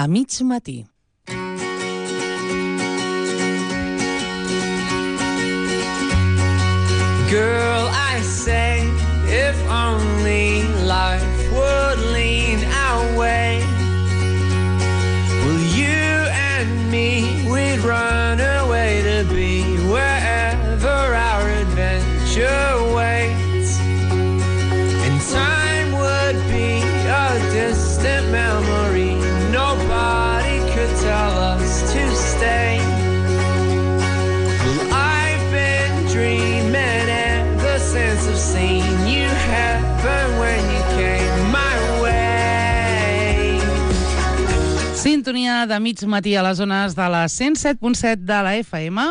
a mig matí. Girl, I say, if only life would lean our way. Well, you and me, we'd run away to be wherever our adventure waits. And time would be a distant memory. Nobody could tell us to stay. Well, I've been dreaming ever since I've seen you happen when you came my way. Sintonia de mig matí a les zones de la 107.7 de la FM.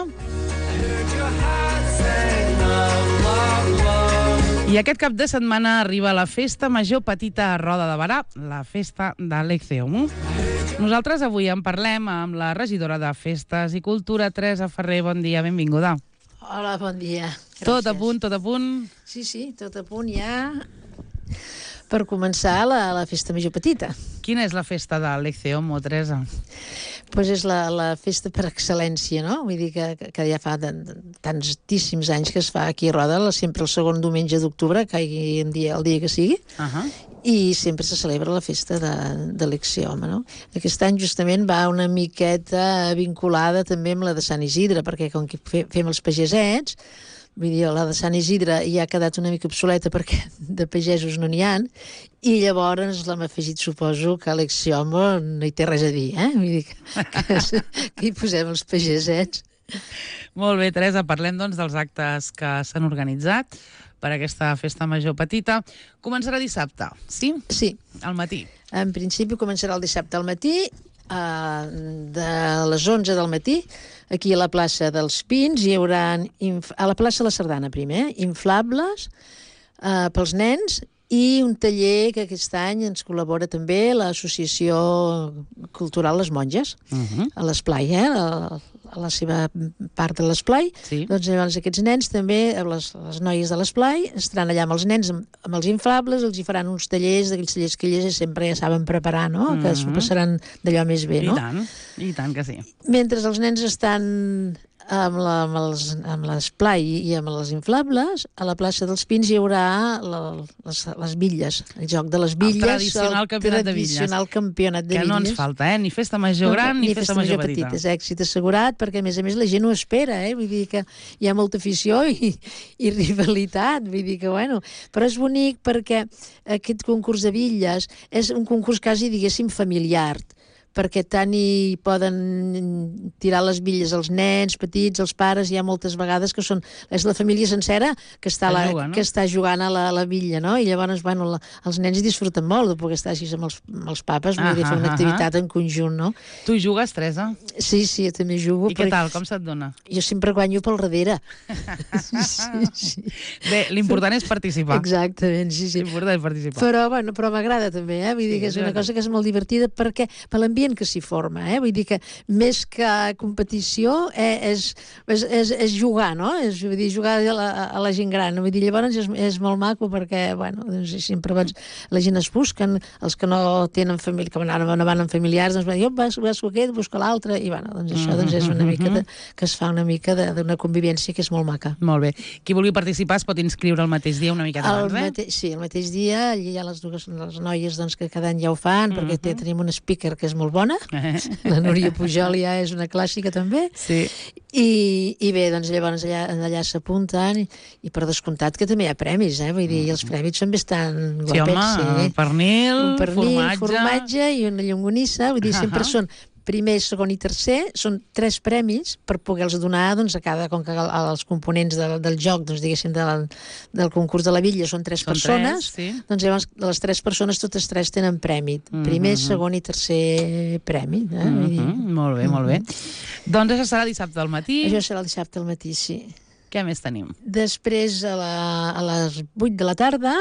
I aquest cap de setmana arriba la Festa Major Petita a Roda de Berà, la festa de l'Ecceom. Nosaltres avui en parlem amb la regidora de Festes i Cultura, Teresa Ferrer. Bon dia, benvinguda. Hola, bon dia. Gràcies. Tot a punt, tot a punt? Sí, tot a punt ja per començar la Festa Major Petita. Quina és la festa de l'Ecceom, Teresa? Pues és la festa per excel·lència, no? Vull dir que ja fa tantíssims anys que es fa aquí a Roda, sempre el segon diumenge d'octubre, caigui el dia que sigui, i sempre se celebra la festa de l'Ecceom, no? Aquest any justament va una miqueta vinculada també amb la de Sant Isidre, perquè com que fem els pagesets, vull dir, la de Sant Isidre ja ha quedat una mica obsoleta perquè de pagesos no n'hi ha, i llavors l'hem afegit, suposo, que l'Ecceom no hi té res a dir, Vull dir que hi posem els pagesets. Molt bé, Teresa, parlem doncs dels actes que s'han organitzat per aquesta festa major petita. Començarà dissabte, sí? Sí. Al matí. En principi començarà el dissabte al matí, de les 11 del matí, aquí a la plaça dels Pins hi haurà, a la plaça La Sardana primer, inflables pels nens i un taller que aquest any ens col·labora també l'Associació Cultural Les Monges, a l'Esplai, a la seva part de l'Esplai. Sí. Doncs llavors aquests nens també, les noies de l'Esplai, estaran allà amb els nens, amb els inflables, els hi faran uns tallers, d'aquells tallers que elles sempre ja saben preparar, no? Que s'ho passaran d'allò més bé, no? I tant que sí. Mentre els nens estan amb l'Esplai i amb les inflables, a la plaça dels Pins hi haurà les bitlles, el joc de les bitlles. El tradicional campionat de bitlles. Que no ens falta, ni festa major gran ni festa major petita. És èxit assegurat, perquè a més la gent ho espera, vull dir que hi ha molta afició i rivalitat, vull dir que, bueno, però és bonic perquè aquest concurs de bitlles és un concurs quasi, diguéssim, familiar, perquè tant hi poden tirar les bitlles els nens petits, els pares, hi ha moltes vegades que és la família sencera que està jugant a la bitlla, no? I llavors, bueno, els nens hi disfruten molt de poder estar així amb els papes, vull dir, fer una activitat en conjunt, no? Tu hi jugues, Teresa? Sí, jo també jugo. I què tal? Com se't dona? Jo sempre guanyo pel darrere. Sí. Bé, l'important és participar. Exactament, sí. L'important és participar. Però m'agrada també, vull dir que és una cosa que és molt divertida perquè per l'ambient que s'hi forma, vull dir que més que competició és jugar, no? Vull dir, jugar a la gent gran, vull dir, llavors és molt maco perquè, bueno, doncs sempre la gent es busquen, els que no tenen família, que no van amb familiars, doncs jo busco aquest, busco l'altre, i bueno, doncs això és una mica que es fa una mica d'una convivència que és molt maca. Molt bé. Qui vulgui participar es pot inscriure el mateix dia una miqueta abans, Sí, el mateix dia, allà hi ha les noies que cada any ja ho fan, perquè tenim un speaker que és molt bona, la Núria Pujol ja és una clàssica també, i bé, doncs llavors allà s'apunten i per descomptat que també hi ha premis, vull dir, i els premis són bastant guapets. Sí, home, pernil, formatge i una llonganissa, vull dir, sempre són primer, segon i tercer, són 3 premis per poder-los donar a cada, com que els components del joc, doncs diguéssim, del concurs de la bitlla són 3 persones, doncs llavors les 3 persones, totes 3 tenen premi. Primer, segon i tercer premi. Molt bé, molt bé. Doncs això serà dissabte al matí. Això serà el dissabte al matí, sí. Què més tenim? Després, a les 8 de la tarda,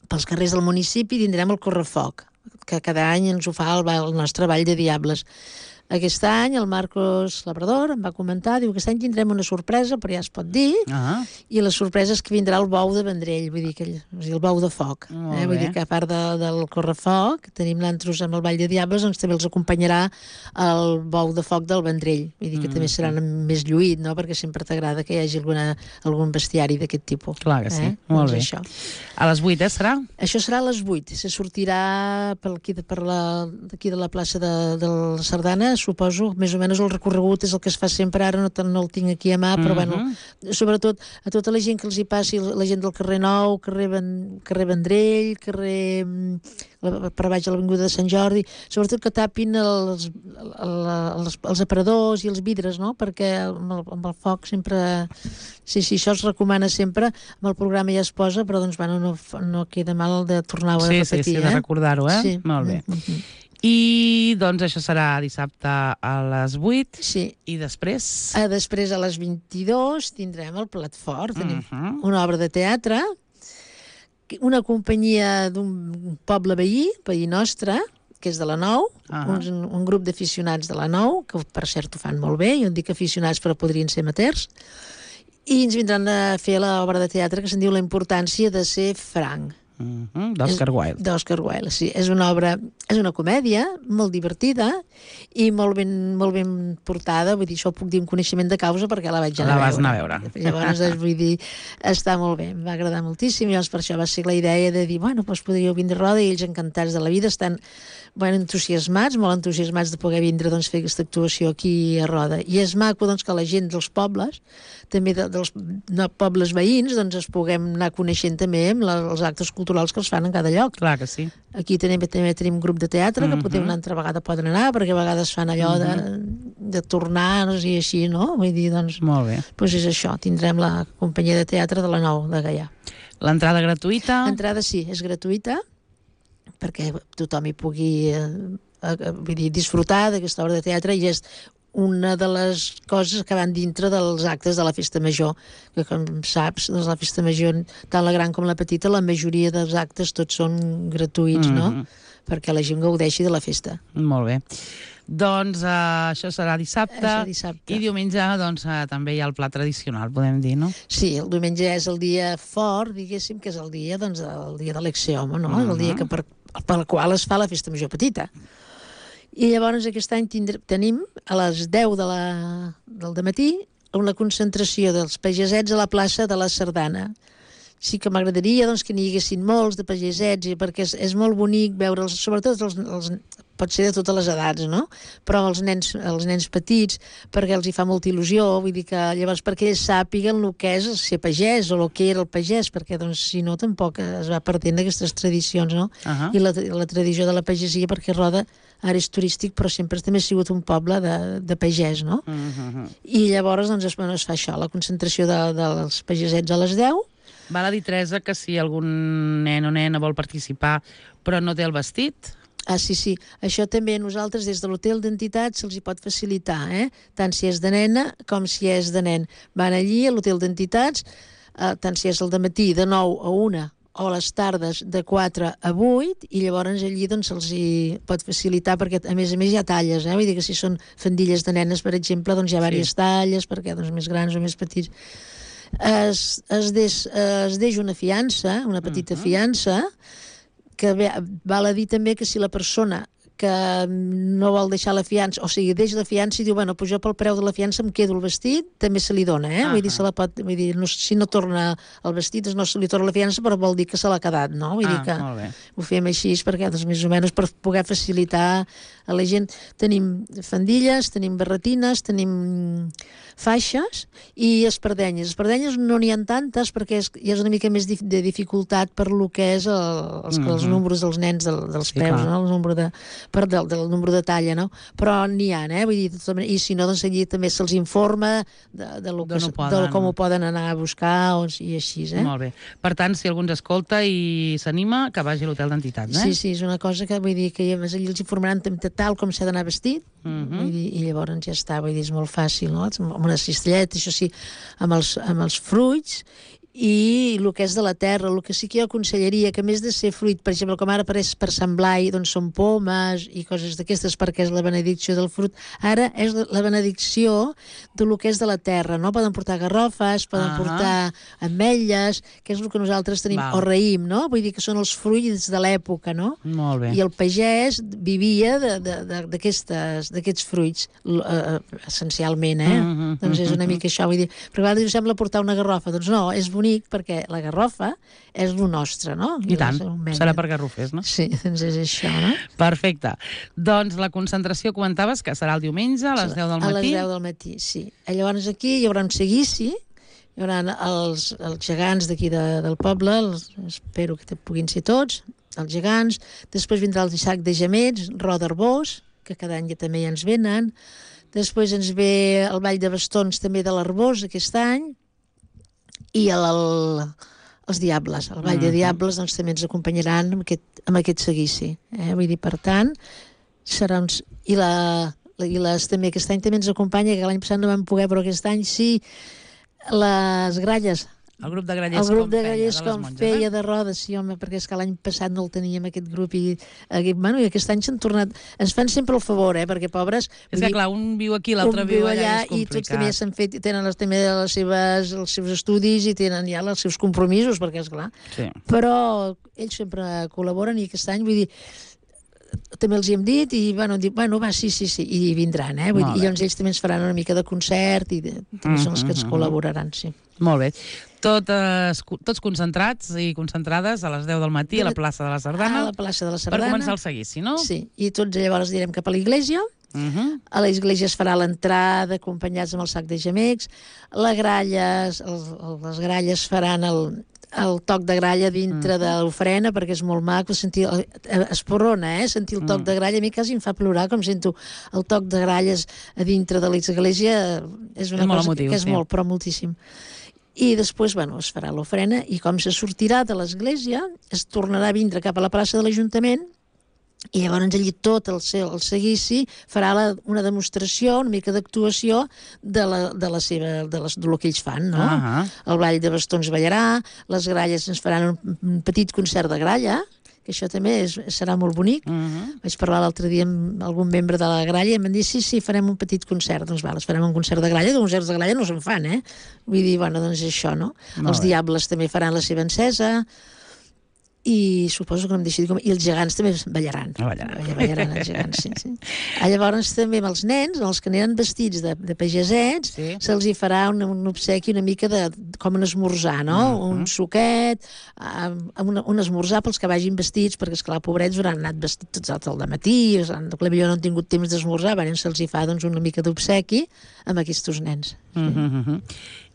pels carrers del municipi tindrem el correfoc, que cada any ens ho fa el nostre Ball de Diables. Aquest any el Marcos Labrador em va comentar, diu, aquest any tindrem una sorpresa, però ja es pot dir, i la sorpresa és que vindrà el bou de Vendrell, vull dir, el bou de foc. Vull dir que a part del correfoc, tenim l'antros amb el Ball de Diables, doncs també els acompanyarà el bou de foc del Vendrell. Vull dir que també serà més lluït, no?, perquè sempre t'agrada que hi hagi algun bestiari d'aquest tipus. Clar que sí, molt bé. Això. A les 8, serà? Això serà a les 8. Se sortirà d'aquí de la plaça de la Sardana, suposo, més o menys el recorregut és el que es fa sempre, ara no el tinc aquí a mà, però bueno, sobretot a tota la gent que els hi passi, la gent del carrer Nou, carrer Vendrell, carrer per baix a l'avinguda de Sant Jordi, sobretot que tapin els aparadors i els vidres, no?, perquè amb el foc sempre... Sí, això es recomana sempre, amb el programa ja es posa, però doncs bueno, no queda mal de tornar-ho a repetir. Sí, de recordar-ho, Sí. Molt bé. I doncs això serà dissabte a les 8. Sí. I després? Després a les 22 tindrem el Plat Fort, tenim una obra de teatre, una companyia d'un poble veí nostre, que és de la Nou, un grup d'aficionats de la Nou, que per cert ho fan molt bé, jo en dic aficionats però podrien ser amateurs, i ens vindran a fer l'obra de teatre que se'n diu La importància de ser franc. D'Oscar Wilde. D'Oscar Wilde, sí. És una obra, és una comèdia molt divertida i molt ben portada, vull dir, això ho puc dir amb coneixement de causa perquè la vaig anar a veure. La vas anar a veure. Llavors, vull dir, està molt bé, em va agradar moltíssim, i llavors per això va ser la idea de dir, bueno, doncs podríeu vindre a Roda, i ells encantats de la vida, estan molt entusiasmats de poder vindre a fer aquesta actuació aquí a Roda. I és maco doncs, que la gent dels pobles, també dels pobles veïns, doncs es puguem anar coneixent també amb els actes culturals que els fan en cada lloc. Clar que sí. Aquí també tenim un grup de teatre que potser una altra vegada poden anar, perquè a vegades fan allò de tornar-nos i així, no? Vull dir, doncs... Molt bé. Doncs és això, tindrem la companyia de teatre de la Nou, de Gaià. L'entrada gratuïta? L'entrada sí, és gratuïta, perquè tothom hi pugui disfrutar d'aquesta obra de teatre, i és una de les coses que van dintre dels actes de la Festa Major, que com saps, doncs la Festa Major, tant la gran com la petita, la majoria dels actes tots són gratuïts, no? Perquè la gent gaudeixi de la festa. Molt bé. Doncs això serà dissabte. I diumenge doncs, també hi ha el pla tradicional, podem dir, no? Sí, el diumenge és el dia fort, diguéssim, que és el dia de l'Exeom, no? El dia pel qual es fa la Festa Major petita. I llavors aquest any tenim a les 10 del dematí una concentració dels pagesets a la plaça de la Sardana. Sí que m'agradaria doncs, que n'hi haguessin molts de pagesets, perquè és molt bonic veure'ls, sobretot pot ser de totes les edats, no? Però els nens petits, perquè els hi fa molta il·lusió, vull dir que llavors perquè ells sàpiguen el que és ser pagès o el que era el pagès, perquè doncs, si no tampoc es va perdent aquestes tradicions, no? I la tradició de la pagesia, perquè Roda ara és turístic, però sempre també ha sigut un poble de pagès, no? I llavors doncs, es fa això, la concentració dels pagesets a les 10. Val a dir, Teresa, que si algun nen o nena vol participar però no té el vestit... Sí. Això també a nosaltres des de l'hotel d'entitat se'ls hi pot facilitar, tant si és de nena com si és de nen. Van allí a l'hotel d'entitats, tant si és el dematí de 9 a 1 o a les tardes de 4 a 8, i llavors allí doncs, se'ls hi pot facilitar, perquè a més hi ha talles, vull dir que si són faldilles de nenes, per exemple, doncs hi ha diverses talles, perquè doncs, més grans o més petits. Es deix una fiança, una petita fiança, que val a dir també que si la persona que no vol deixar la fiança, o sigui, deixa la fiança i diu, bueno, pues jo pel preu de la fiança em quedo el vestit, també se li dona, vull dir, si no torna el vestit, no se li torna la fiança, però vol dir que se l'ha quedat, no? Vull dir que ho fem així, perquè, doncs, més o menys, per poder facilitar a la gent. Tenim fandilles, tenim barretines, tenim faixes i espardenyes. Espardenyes no n'hi ha tantes perquè hi ha una mica més de dificultat per lo que és els números dels nens dels peus, no? El número del número de talla, no? Però n'hi ha, vull dir, i si no, doncs allí també se'ls informa de com ho poden anar a buscar i així, Molt bé. Per tant, si algú ens escolta i s'anima, que vagi a l'hotel d'entitats, Sí, és una cosa que vull dir que allí els informaran tal com s'ha d'anar vestit, i llavors ja està, vull dir, és molt fàcil, no? Amb una cistelleta, això sí, amb els fruits, i el que és de la terra, el que sí que jo aconsellaria, que a més de ser fruit, per exemple, com ara apareix per Sant Blai, doncs són pomes i coses d'aquestes perquè és la benedicció del fruit, ara és la benedicció de lo que és de la terra, no? Poden portar garrofes, poden portar ametlles, que és el que nosaltres tenim, o raïm, no? Vull dir que són els fruits de l'època, no? Molt bé. I el pagès vivia d'aquests fruits, essencialment, Doncs és una mica això, vull dir, però a vegades sembla portar una garrofa, doncs no, és bonic perquè la garrofa és lo nostre, no? I tant, serà per garrofers, no? Sí, doncs és això, no? Perfecte. Doncs la concentració comentaves que serà el diumenge a les 10 del matí? A les 10 del matí, sí. Llavors aquí hi haurà un seguici, hi haurà els gegants d'aquí del poble, espero que puguin ser tots, els gegants, després vindrà el sac de gemets, Roda Arbós, que cada any ja també ja ens venen, després ens ve el Ball de Bastons també de l'Arbós aquest any, i els Diables, el Ball de Diables doncs, també ens acompanyaran amb aquest seguici. Vull dir, per tant, serà uns... I també aquest any també ens acompanya, que l'any passat no vam poder, però aquest any sí, les gralles. El grup de grallers com feia de rodes, sí, home, perquè és que l'any passat no el teníem aquest grup i aquest any s'han tornat... Ens fan sempre el favor, perquè pobres... És que clar, un viu aquí, l'altre viu allà, és complicat. I tots també s'han fet, tenen també els seus estudis i tenen ja els seus compromisos, perquè és clar. Sí. Però ells sempre col·laboren i aquest any, vull dir, també els hi hem dit i va, sí, i vindran, vull dir, i llavors ells també ens faran una mica de concert i també són els que ens col·laboraran, sí. Molt bé. Tots concentrats i concentrades a les 10 del matí a la plaça de la Sardana. A la plaça de la Sardana. Per començar el seguici, no? Sí, i tots llavors anirem cap a l'església. A l'església es farà l'entrada acompanyats amb el sac de gemecs. Les gralles faran el toc de gralla dintre de l'ofrena, perquè és molt maco sentir, esporrona, sentir el toc de gralla, a mi quasi em fa plorar com sento el toc de gralles a dintre de l'església, és una cosa que és molt, però moltíssim. I després, es farà l'ofrena i com se sortirà de l'església es tornarà a vindre cap a la plaça de l'Ajuntament i llavors allí tot el seguici farà una demostració, una mica d'actuació del que ells fan, no? El Ball de Bastons ballarà, les gralles ens faran un petit concert de gralla, que això també serà molt bonic. Vaig parlar l'altre dia amb algun membre de la gralla i em van dir, sí, farem un petit concert. Doncs farem un concert de gralla, que concerts de gralla no se'n fan, Vull dir, doncs això, no? Els Diables també faran la seva encesa, i suposo que no em deixi dir com... I els gegants també ballaran. Ballaran els gegants, sí. Llavors també amb els nens, els que aniran vestits de pagesets, se'ls hi farà un obsequi una mica com un esmorzar, no? Un suquet, un esmorzar pels que vagin vestits, perquè esclar, pobrets hauran anat vestits tots al dematí, potser no han tingut temps d'esmorzar, se'ls hi fa una mica d'obsequi amb aquests nens.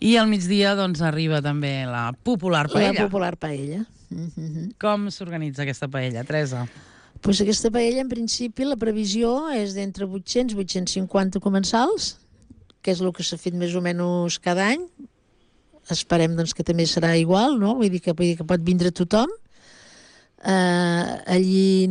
I al migdia arriba també la popular paella. La popular paella. Com s'organitza aquesta paella, Teresa? Doncs aquesta paella, en principi, la previsió és d'entre 800 i 850 comensals, que és el que s'ha fet més o menys cada any. Esperem que també serà igual, no? Vull dir que pot vindre tothom. Allí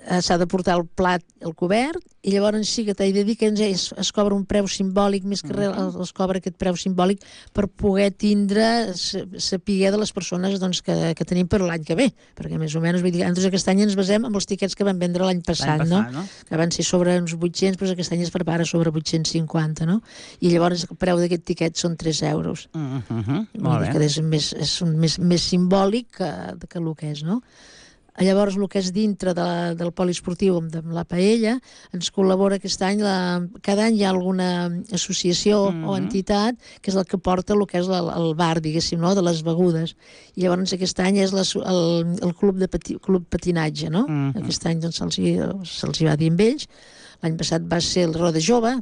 s'ha de portar el plat, el cobert, i llavors sí que t'he de dir que es cobra un preu simbòlic, més que res es cobra aquest preu simbòlic per poder saber de les persones que tenim per l'any que ve, perquè més o menys, vull dir, nosaltres aquest any ens basem amb els tiquets que vam vendre l'any passat, no? Que van ser sobre uns 800, però aquest any es prepara sobre 850, no? I llavors el preu d'aquest tiquet són 3 euros. Molt bé. Que és més simbòlic que el que és, no? Llavors, el que és dintre del poliesportiu amb la paella, ens col·labora aquest any, cada any hi ha alguna associació o entitat que és el que porta el que és el bar, diguéssim, no? De les begudes. I llavors aquest any és el club patinatge, no? Aquest any se'ls hi va dir amb ells. L'any passat va ser el Roda Jove,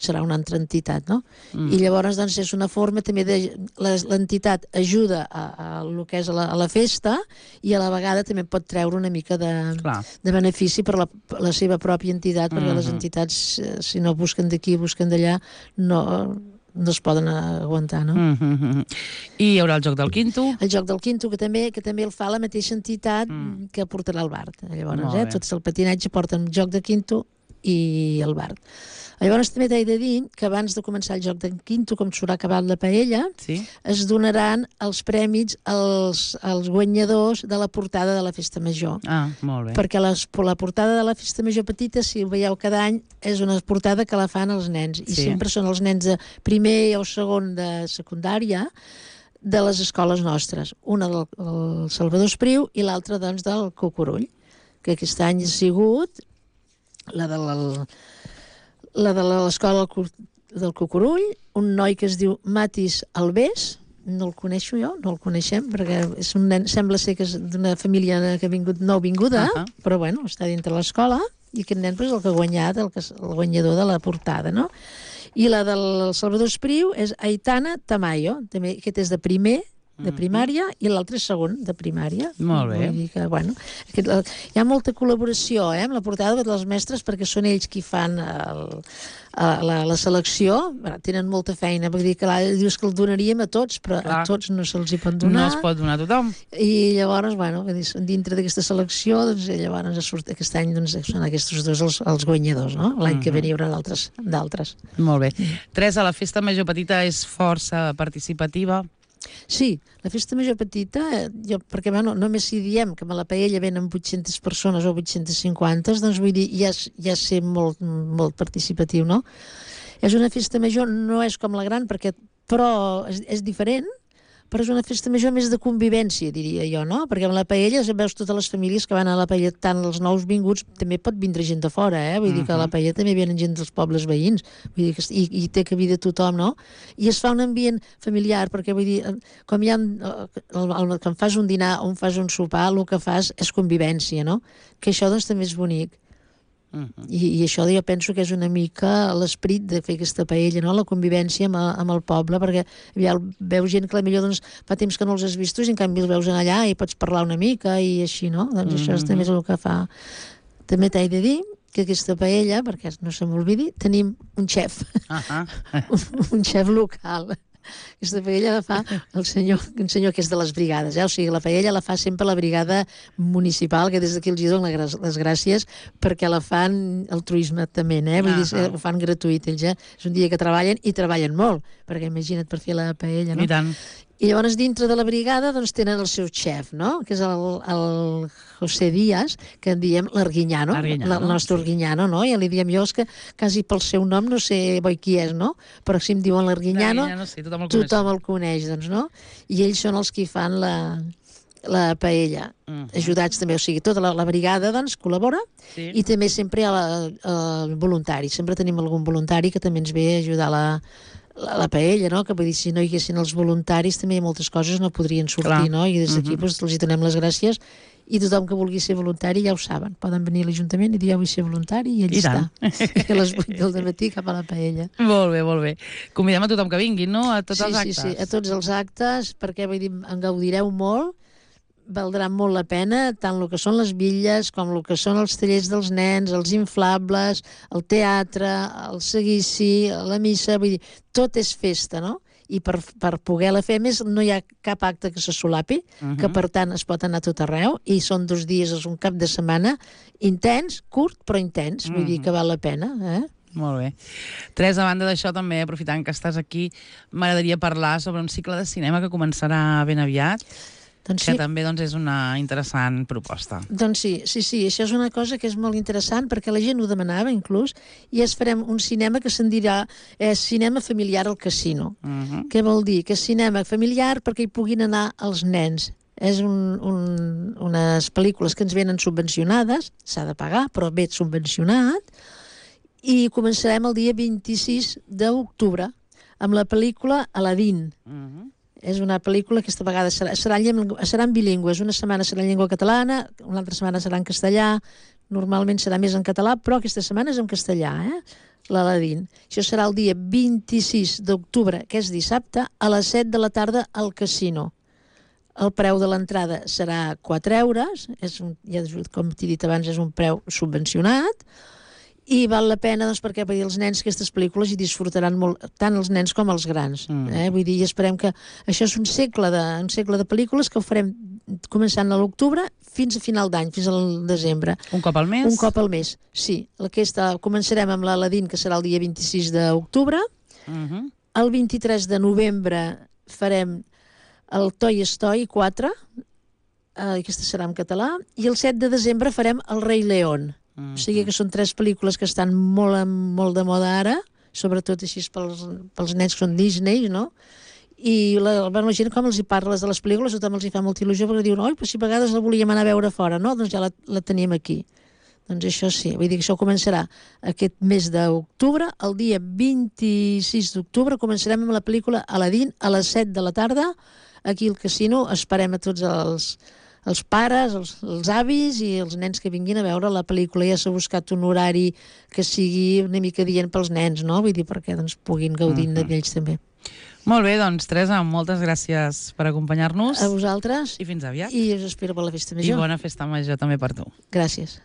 serà una altra entitat, no? I llavors és una forma també de... L'entitat ajuda a el que és a la festa i a la vegada també pot treure una mica de benefici per la seva pròpia entitat, perquè les entitats, si no busquen d'aquí, busquen d'allà, no es poden aguantar, no? I hi haurà el Joc del Quinto? El Joc del Quinto, que també el fa la mateixa entitat que portarà el bar. Llavors, tots el patinatge porten Joc de Quinto i el bar. Llavors també t'he de dir que abans de començar el joc d'en Quinto, com s'haurà acabat la paella, es donaran els premis als guanyadors de la portada de la Festa Major. Ah, molt bé. Perquè la portada de la Festa Major petita, si ho veieu cada any, és una portada que la fan els nens. I sempre són els nens de primer o segon de secundària de les escoles nostres. Una del Salvador Espriu i l'altra, doncs, del Cucurull, que aquest any ha sigut la de l'escola del Cucurull, un noi que es diu Matis Alves, no el coneixo jo, no el coneixem, perquè és un nen, sembla ser que és d'una família que ha vingut nouvinguda, però bueno, està dintre l'escola, i aquest nen és el que ha guanyat, el guanyador de la portada, no? I la del Salvador Espriu és Aitana Tamayo, també aquest és de primer, de primària, i l'altre és segon de primària. Molt bé. Vull dir que, bueno, hi ha molta col·laboració amb la portada dels mestres, perquè són ells qui fan la selecció. Tenen molta feina, vull dir que dius que el donaríem a tots, però a tots no se'ls hi pot donar. No es pot donar a tothom. I llavors, bueno, dintre d'aquesta selecció, doncs, llavors aquest any són aquests dos els guanyadors, no? L'any que ve n'hi haurà d'altres. Molt bé. Teresa, la Festa Major Petita és força participativa? Sí, la Festa Major Petita, perquè només si diem que a la paella venen 800 persones o 850, doncs vull dir, ja és ser molt, molt participatiu, no? És una festa major, no és com la gran, però és diferent, però és una festa major més de convivència, diria jo, no? Perquè amb la paella veus totes les famílies que van a la paella, tant els nous vinguts, també pot vindre gent de fora, Vull dir que a la paella també venen gent dels pobles veïns, vull dir que i té cabida tothom, no? I es fa un ambient familiar, perquè vull dir, com hi ha, quan fas un dinar o fas un sopar, el que fas és convivència, no? Que això doncs també és bonic. I això jo penso que és una mica l'esperit de fer aquesta paella, no? La convivència amb el poble, perquè veus gent que potser doncs, fa temps que no els has vistos i en canvi els veus allà i pots parlar una mica i així, no? Doncs això també és el que fa. També t'he de dir que aquesta paella, perquè no se m'oblidi, tenim un xef, un xef local. Aquesta paella la fa un senyor que és de les brigades, O sigui, la paella la fa sempre la brigada municipal, que des d'aquí els dono les gràcies, perquè la fan altruismament, Vull dir, ho fan gratuït, ells, És un dia que treballen, i treballen molt, perquè imagina't per fer la paella, no? I tant. I llavors dintre de la brigada doncs tenen el seu xef, no? Que és el José Díaz, que en diem l'Arguiñano, el nostre Arguiñano, no? Ja li diem jo, és que quasi pel seu nom no sé qui és, no? Però si em diuen l'Arguiñano, tothom el coneix, doncs, no? I ells són els que fan la paella, ajudats també, o sigui, tota la brigada doncs col·labora, i també sempre hi ha voluntari, sempre tenim algun voluntari que també ens ve a ajudar la paella, no? Que vull dir, si no hi haguessin els voluntaris també moltes coses no podrien sortir, no? I des d'aquí doncs, els donem les gràcies, i tothom que vulgui ser voluntari ja ho saben, poden venir a l'Ajuntament i dir vull ser voluntari, i allà està, a les 8 del matí cap a la paella. Molt bé, molt bé. Convidem a tothom que vingui, no? A tots els actes. Sí, a tots els actes, perquè vull dir, en gaudireu molt, valdrà molt la pena, tant el que són les bitlles com el que són els tallers dels nens, els inflables, el teatre, el seguici, la missa, vull dir, tot és festa, no? I per poder-la fer, més, no hi ha cap acte que se solapi, que per tant es pot anar a tot arreu, i són 2 dies, és un cap de setmana intens, curt però intens, vull dir que val la pena, Molt bé. Teresa, a banda d'això, també, aprofitant que estàs aquí, m'agradaria parlar sobre un cicle de cinema que començarà ben aviat, que també és una interessant proposta. Doncs sí, això és una cosa que és molt interessant, perquè la gent ho demanava inclús, i farem un cinema que se'n dirà cinema familiar al casino. Què vol dir? Que és cinema familiar perquè hi puguin anar els nens. És unes pel·lícules que ens venen subvencionades, s'ha de pagar, però ve subvencionat, i començarem el dia 26 d'octubre amb la pel·lícula Aladdin. És una pel·lícula que aquesta vegada seran bilingües. Una setmana serà en llengua catalana, una altra setmana serà en castellà, normalment serà més en català, però aquesta setmana és en castellà, l'Aladdin. Això serà el dia 26 d'octubre, que és dissabte, a les 7 de la tarda al casino. El preu de l'entrada serà 4 euros, com t'he dit abans, és un preu subvencionat, i val la pena doncs, perquè els nens aquestes pel·lícules hi disfrutaran molt, tant els nens com els grans. Vull dir, esperem que això és un segle de pel·lícules que ho farem començant a l'octubre fins a final d'any, fins al desembre. Un cop al mes? Un cop al mes, sí. Començarem amb l'Aladín, que serà el dia 26 d'octubre. El 23 de novembre farem el Toy Story 4, aquesta serà en català, i el 7 de desembre farem el Rei León. O sigui que són 3 pel·lícules que estan molt de moda ara, sobretot així pels nens que són Disney, no? I la gent, com els hi parles de les pel·lícules, tothom els hi fa molta il·lusió, perquè diuen, oi, però si a vegades la volíem anar a veure fora, no? Doncs ja la tenim aquí. Doncs això sí, vull dir que això començarà aquest mes d'octubre. El dia 26 d'octubre començarem amb la pel·lícula Aladín a les 7 de la tarda, aquí al casino. Esperem a tots els pares, els avis i els nens que vinguin a veure la pel·lícula. Ja s'ha buscat un horari que sigui una mica dient pels nens, no? Vull dir, perquè doncs, puguin gaudir d'ells també. Molt bé, doncs, Teresa, moltes gràcies per acompanyar-nos. A vosaltres. I fins aviat. I us espero per la festa major. I bona festa major també per tu. Gràcies.